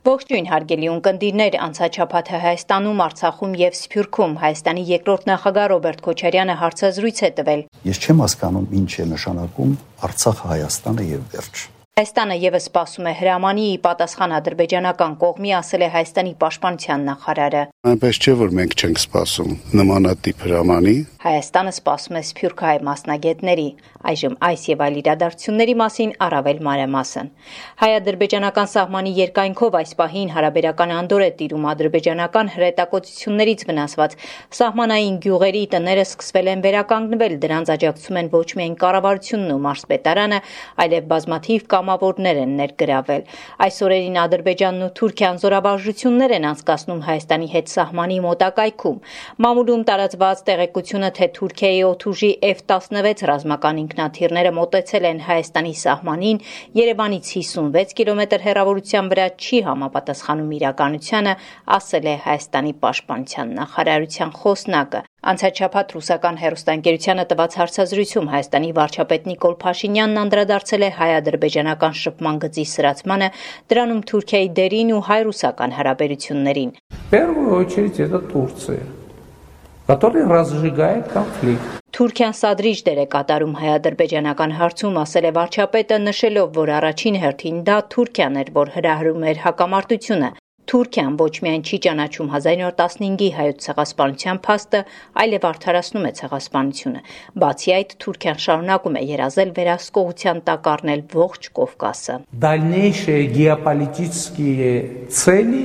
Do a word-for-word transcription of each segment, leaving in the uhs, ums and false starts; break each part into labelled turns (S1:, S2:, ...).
S1: Ողջույն հարգելի ունկնդիրներ, անցաչափաթը Հայաստանում, Արցախում եւ Սփյուռքում Հայաստանի երկրորդ նախագահ Ռոբերտ Քոչարյանը հարցազրույց է տվել։
S2: Ես չեմ հասկանում ինչ է նշանակում Արցախը, Հայաստանը եւ վերջ։
S1: Հայաստանը եւս սպասում է հրամանի, ի պատասխան ադրբեջանական կողմի, ասել է Հայաստանի պաշտպանության նախարարը։
S3: Այնպես չէ, որ մենք չենք սպասում նմանատիպ հրամանի։
S1: Հայաստանը սպասում է սփյուռքահայ մասնագետների։ Այժմ այս եւ այլ իրադարձությունների մասին առավել մանրամասն։ Հայ-ադրբեջանական սահմանի երկայնքով այս պահին հարաբերական անդոր է տիրում ադրբեջանական հրետակոծություններից վնասված սահմանային գյուղերի տները սկսվել են վերականգնվել, դրանց աջակցում են ոչ միայն կառավարությունն ու մարզպետարանը, այլև բազմաթիվ կամավորներ են ներգրավել։ Այս օրերին Ադրբեջանն ու Թուրքիան զորավարժություններ են անցկացնում Հայաստանի հետ սահմանի մոտակայքում։ Մամուլում տարածված տեղեկությունը, թե Թուրքիայի օդուժի Էֆ տասնվեց ռազմական ինքնաթիռները մոտեցել են Հայաստանի սահմանին, Երևանից հիսունվեց կիլոմետր հեռավորության վրա, չի համապատասխանում իրականությանը, ասել է Հայաստանի պաշտպանության նախարարության խոսնակը։ Անցաչափած ռուսական հեռուստաընկերությանը տված հարցազրույցում Հայաստանի վարչապետ Նիկոլ Փաշինյանն անդրադարձել է հայ-ադրբեջանական շփման գծի սրացմանը, դրանում Թուրքիայի դերին ու հայ-ռուսական հարաբերություններին։
S4: Первую очередь это Турция, которая разжигает конфликт.
S1: Թուրքիան սադրիչ դեր է կատարում հայ-ադրբեջանական հարցում, ասել է վարչապետը, նշելով, որ առաջին հերթին դա Թուրքիան էր, որ հրահրում էր հակամարտությունը։ Թուրքիան ոչ միայն չի ճանաչում հազար իննսուն տասնհինգի հայոց ցեղասպանության փաստը, այլև արդարացնում է ցեղասպանությունը։ Բացի այդ, Թուրքիան շարունակում է երազել վերահսկողության տակ առնել ողջ Կովկասը։
S4: Дальнейшие геополитические цели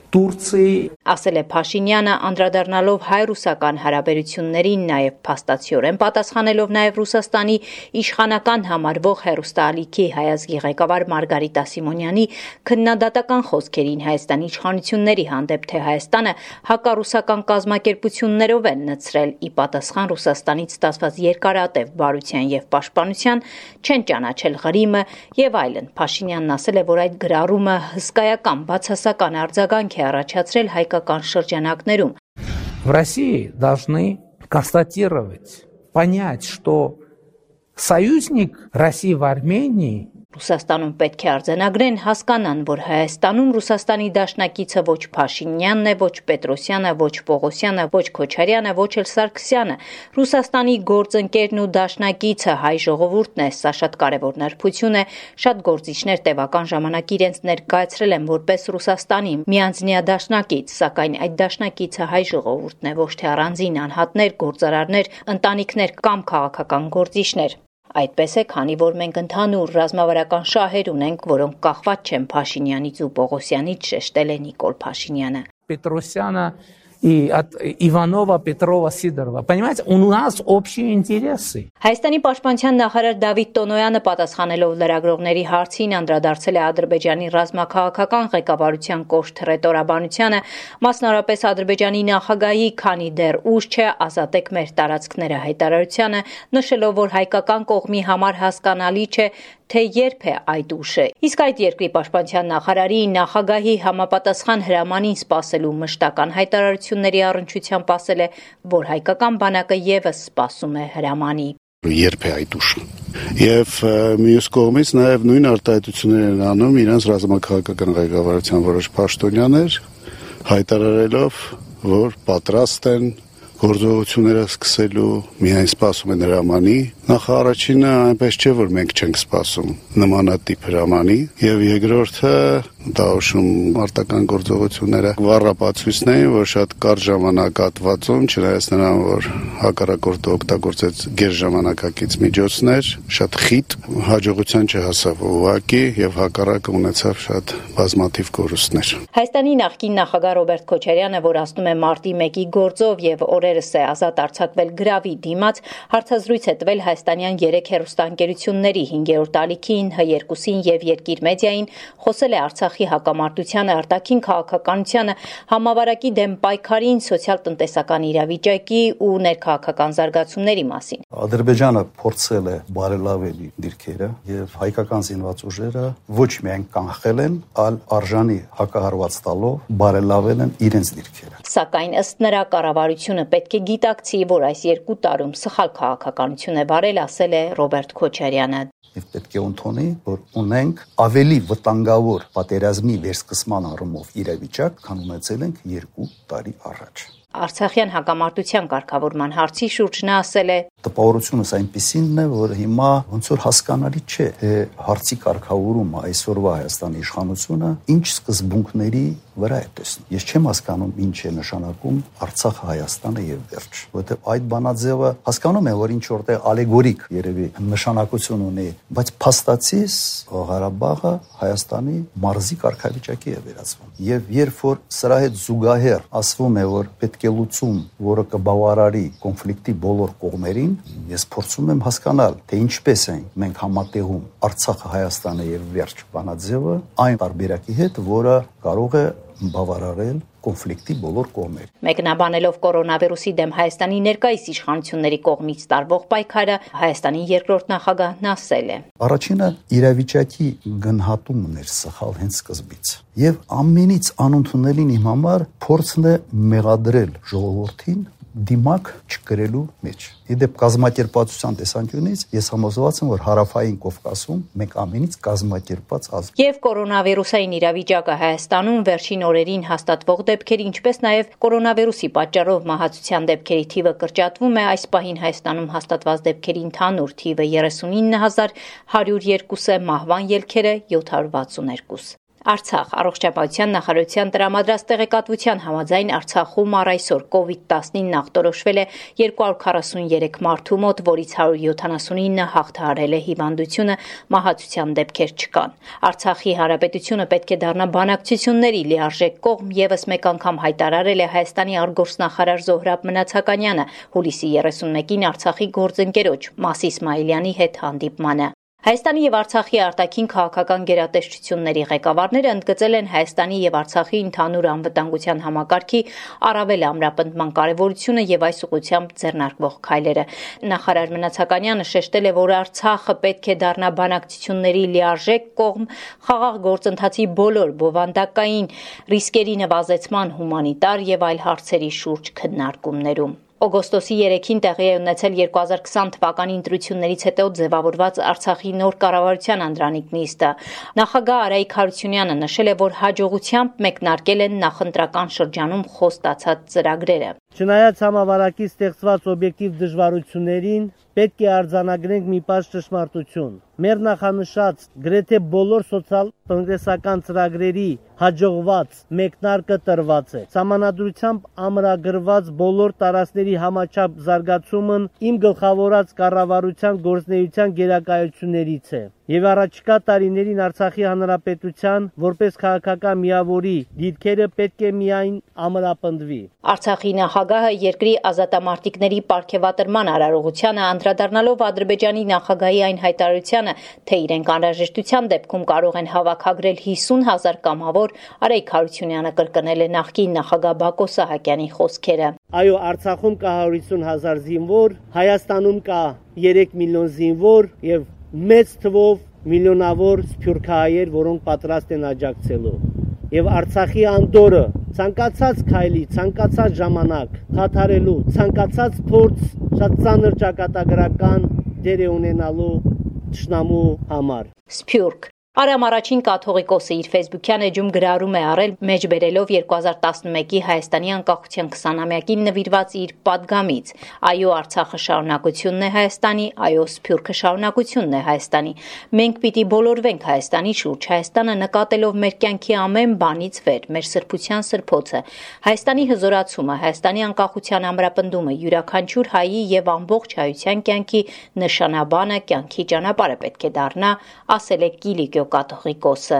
S4: Турции,
S1: ասել է Փաշինյանը, անդրադառնալով հայ-ռուսական հարաբերություններին, նաև փաստացիորեն պատասխանելով նաև Ռուսաստանի իշխանական համարվող հեռուստաալիքի հայ ազգի ղեկավար Մարգարիտա Սիմոնյանի քննադատական խոսքերին Հայաստանի իշխանությունների հանդեպ, թե Հայաստանը հակառուսական կազմակերպություններով են նցրել, ի պատասխան Ռուսաստանից ստացված երկարատև բարության եւ պաշտպանության, չեն ճանաչել Ղրիմը եւ այլն։ Փաշինյանն ասել է, որ այդ գրառումը հսկայական բացասական արձագանք է առաջացրել հայկական շրջանակներում։
S4: В России должны констатировать, понять, что союзник России в Армении
S1: Ռուսաստանում պետք է արձանագրեն, հասկանան, որ Հայաստանում Ռուսաստանի դաշնակիցը ոչ Փաշինյանն է, ոչ Պետրոսյանը, ոչ Պողոսյանը, ոչ Քոչարյանը, ոչ էլ Սարգսյանը։ Ռուսաստանի գործընկերն ու դաշնակիցը հայ ժողովուրդն է, սա շատ կարևոր նրբություն է։ Շատ գործիչներ տևական ժամանակ իրենց ներկայացրել են որպես Ռուսաստանի միանձնյա դաշնակից, սակայն այդ դաշնակիցը հայ ժողովուրդն է, ոչ թե առանձին անհատներ, գործարարներ, ընտանիքներ կամ քաղաքական գործիչներ։ Այդպես է, քանի որ մենք ընդհանուր ռազմավարական շահեր ունենք, որոնք կախված չեն Փաշինյանից ու Պողոսյանից, շեշտել է Նիկոլ Փաշինյանը։
S4: Պետրոսյանը и от Иванова, Петрова, Сидорова. Понимаете, у нас общие интересы.
S1: Հայաստանի պաշտպանության նախարար Դավիթ Տոնոյանը պատասխանելով լրագրողների հարցին անդրադարձել է Ադրբեջանի ռազմաքաղաքական ղեկավարության կոշտ հռետորաբանությանը, մասնավորապես Ադրբեջանի նախագահի, քանի դեռ ուշ չէ, ազատեք մեր տարածքները հայտարարությանը, նշելով, որ հայկական կողմի համար հասկանալի չէ, թե երբ է այդ ուշը։ Իսկ այդ երկրի պաշտպանության նախարարի նախագահի համապատասխան հրամանին սպասելու մշտական հայտարարությունների առնչությամբ ասել է, որ հայկական բանակը եւս սպասում է հրամանի։
S3: Երբ է այդ ուշը։ Եվ մյուս կողմից նաև նույն արտահայտություններ են անում իրենց ռազմաքաղաքական ղեկավարության որոշ պաշտոնյաներ, հայտարարելով, որ պատրաստ են գործողությունները սկսելու, միայն սպասում են հրամանի։ Նախարարինը այնպես չէ, որ մենք չենք սպասում նմանատիպ հրամանի, եւ երկրորդը դա ուշում արտական գործողությունները վառապացույցն էին, որ շատ կարճ ժամանակահատվածում, չնայած նրան, որ հակառակորդը օգտագործեց գերժամանակակից միջոցներ, շատ խիտ հաջողության չհասավ ուղղակի եւ հակառակը ունեցավ շատ բազմաթիվ կորուստներ։
S1: Հայաստանի նախկին նախագահ Ռոբերտ Քոչարյանը, որ ասնում է մարտի մեկի գործով եւ օրերս է ազատ արձակվել գրավի դիմաց, հարցազրույց է տվել հայաստանյան երեք հեռուստաընկերությունների հինգերորդ ալիքին, Հ երկուսին եւ Երկիր մեդիային, խոսել է Արցախի հակամարտությանը, արտաքին քաղաքականությանը, համավարակի դեմ պայքարին, սոցիալ-տնտեսական իրավիճակի ու ներքաղաքական զարգացումների մասին։
S2: Ադրբեջանը փորձել է բարելավել դիրքերը եւ հայկական զինված ուժերը ոչ միայն կանխել են, այլ արժանի հակահարված տալով բարելավել են իրենց դիրքերը։
S1: Սակայն ըստ նրա կառավարությունը պետք է գիտակցի, որ այս երկու տարում սխալ քաղաքականություն է վարել, ասել է Ռոբերտ Քոչարյանը։
S2: Եվ պետք է ընդունի, որ ունենք ավելի վտանգավոր պատերազմի վերսկսման առումով իրավիճակ, քան ունեցել ենք երկու տարի առաջ։
S1: Արցախյան հակամարտության կարգավորման հարցի շուրջ նա ասել է.
S2: Տպավորությունս այնպիսինն է, որ հիմա ոնց որ հասկանալի չէ, թե հարցի կարգավորումը այսօրվա Հայաստանի իշխանությունը ինչ սկզբունքների վրա է տեսնում։ Ես չեմ հասկանում ինչ է նշանակում Արցախը Հայաստանը եւ վերջ, որովհետեւ այդ բանաձևը հասկանում եմ, որ ինչ որտեղ ալեգորիկ երևի նշանակություն ունի, բայց փաստացիս Ղարաբաղը Հայաստանի մարզի կարգավիճակի է վերածվում։ Եվ երբ որ սրա հետ զուգահեռ ասվում է, որ պետք է լուծում, որը կբավարարի կոնֆլիկտի բոլոր կողմերին, ես փորձում եմ հասկանալ, թե ինչպես են մենք համատեղում Արցախը Հայաստանը եւ վերջ բանաձևը այն տարբերակի հետ, որը կարող է բավարարել կոնֆլիկտի բոլոր կողմեր։
S1: Մեկնաբանելով կորոնավիրուսի դեմ Հայաստանի ներկայիս իշխանությունների կողմից տարվող պայքարը, Հայաստանի երկրորդ նախագահն ասել է.
S2: Առաջինը իրավիճակի գնահատումն էր սխալ հենց սկզբից։ Եվ ամենից անընդունելին իմ համար փորձն է մեղադրել ժողովրդին դիմակ չկրելու մեջ։ Իդեպ կազմակերպվածության տեսանկյունից ես համոզված եմ, որ Հարավային Կովկասում մենք ամենից կազմակերպված ազգ։
S1: Եվ կորոնավիրուսային իրավիճակը Հայաստանում վերջին օրերին հաստատվող դեպքերի, ինչպես նաև կորոնավիրուսի պատճառով մահացության դեպքերի թիվը կրճատվում է, այս պահին Հայաստանում հաստատված դեպքերի ընդհանուր թիվը երեսունինը հազար հարյուր երկու է, մահվան ելքերը յոթ հարյուր վաթսուներկու։ Արցախ առողջապահության նախարարության տրամադրած տեղեկատվության համաձայն Արցախում առ այսօր կովիդ տասնինը ախտորոշվել է երկու հարյուր քառասուներեք մարդու մոտ, որից հարյուր յոթանասունինը հաղթահարել է հիվանդությունը, մահացության դեպքեր չկան։ Արցախի հանրապետությունը պետք է դառնա բանակցությունների լիարժեք կողմ, ևս մեկ անգամ հայտարարել է Հայաստանի արտգործնախարար Զոհրաբ Մնացականյանը հուլիսի երեսունմեկին Արցախի գործընկերոջ Մաս Իսմայիլյանի հետ հանդիպմանը։ Հայաստանի եւ Արցախի արտաքին քաղաքական գերատեսչությունների ղեկավարները ընդգծել են Հայաստանի եւ Արցախի ընդհանուր անվտանգության համակարգի առավել ամրապնդման կարեւորությունը եւ այս ուղղությամբ ձեռնարկվող քայլերը։ Նախարար Մնացականյանը շեշտել է, որ Արցախը պետք է դառնա բանակցությունների լիարժեք կողմ, խաղաղ գործընթացի բոլոր բովանդակային ռիսկերի նվազեցման, հումանիտար եւ այլ հարցերի շուրջ քննարկումներում։ Օգոստոսի երեքին տեղի է ունեցել երկու հազար քսան թվականի ընտրություններից հետո ձևավորված Արցախի նոր կառավարության անդրանիկ նիստը։ Նախագահ Արայիկ Հարությունյանը նշել է, որ հաջողությամբ մեկնարկել են նախընտրական շրջանում խոստացած ծրագրերը։
S5: Չնայած համավարակի ստեղծված օբյեկտիվ դժվարություններին, պետք է արձանագրենք մի պարզ ճշմարտություն։ Մեր նախանշած գրեթե բոլոր սոցիալ-տնտեսական ծրագրերի հաջողված մեկնարկը տրված է։ Սահմանադրությամբ ամրագրված բոլոր տարածքների համաչափ զարգացումն իմ գլխավորած կառավարության գործունեության գերակայություններից է։ Եվ առաջիկա տարիներին Արցախի հանրապետության որպես քաղաքական միավորի դիրքերը պետք է միայն ամրապնդվի։
S1: Արցախի նախագահը երկրի ազատամարտիկների պարգևատրման արարողությանը անդրադառնալով Ադրբեջանի նախագահի այն հայտարարությանը, թե իրենք անհրաժեշտության դեպքում կարող են հավաքագրել հիսուն հազար կամավոր, Արայիկ Հարությունյանը կրկնել է նախկին նախագահ Բակո Սահակյանի խոսքերը։
S5: Այո, Արցախում կա հարյուր հիսուն հազար զինվոր, Հայաստանում կա երեք միլիոն զինվոր եւ մեծ թվով միլիոնավոր սփյուռքահայեր, որոնք պատրաստ են աջակցելու։ Եվ Արցախի անդորը ցանկացած քայլի, ցանկացած ժամանակ խաթարելու, ցանկացած փորձ շատ ծանր ճակատագրական դեր է ունենալու թշնամու համար։
S1: Սփյուռք Արամ առաջին կաթողիկոսը իր ֆեյսբուքյան էջում գրառում է առել մեջբերելով երկու հազար տասնմեկի Հայաստանի անկախության քսանամյակին նվիրված իր պատգամից։ Այո, Արցախը շարունակությունն է Հայաստանի, այո, Սփյուռքը շարունակությունն է Հայաստանի։ Մենք պիտի բոլորվենք Հայաստանի շուրջ, Հայաստանը նկատելով մեր կյանքի ամեն բանից վեր, մեր սրբության սրբոցը, Հայաստանի հզորացումը, Հայաստանի անկախության ամրապնդումը, յուրաքանչյուր հայի եւ ամբողջ հայության կյանքի նշանաբանը, կյանքի ճանապարհը պետք է դառնա, ասել է Կիլիկիո կաթողիկոսը։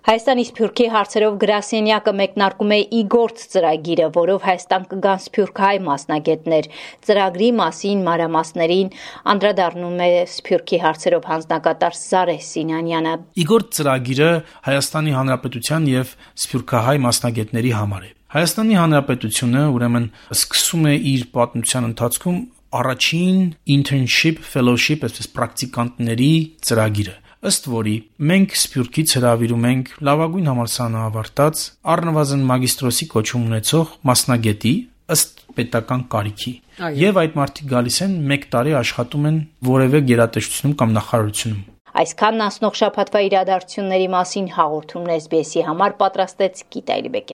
S1: Հայաստանի Սփյուռքի հարցերով գրասենյակը մեկնարկում է Իգործ ծրագիրը, որով Հայաստան կգան սփյուռքահայ մասնագետներ։ Ծրագրի մասին մանրամասներին անդրադառնում է Սփյուռքի հարցերով հանձնակատար Զարե Սինանյանը։
S6: Իգործ ծրագիրը Հայաստանի Հանրապետության եւ սփյուռքահայ մասնագետների համար է։ Հայաստանի Հանրապետությունը ուրեմն սկսում է իր պատմության ընթացքում առաջին internship fellowship, այսպես պրակտիկանտների ծրագիրը, ըստ որի մենք Սփյուռքից հրավիրում ենք լավագույն համալսարանը ավարտած, առնվազն մագիստրոսի կոչում ունեցող մասնագետի ըստ պետական կարիքի։ Եվ այդ մարդիկ գալիս են մեկ տարի աշխատում են որևէ գերատեսչությունում կամ նախարարությունում։
S1: Այսքանն անցնող շաբաթվա իրադարձությունների մասին հաղորդումն էս բի էսի համար պատրաստեց Գիտա Իլբեկյանը։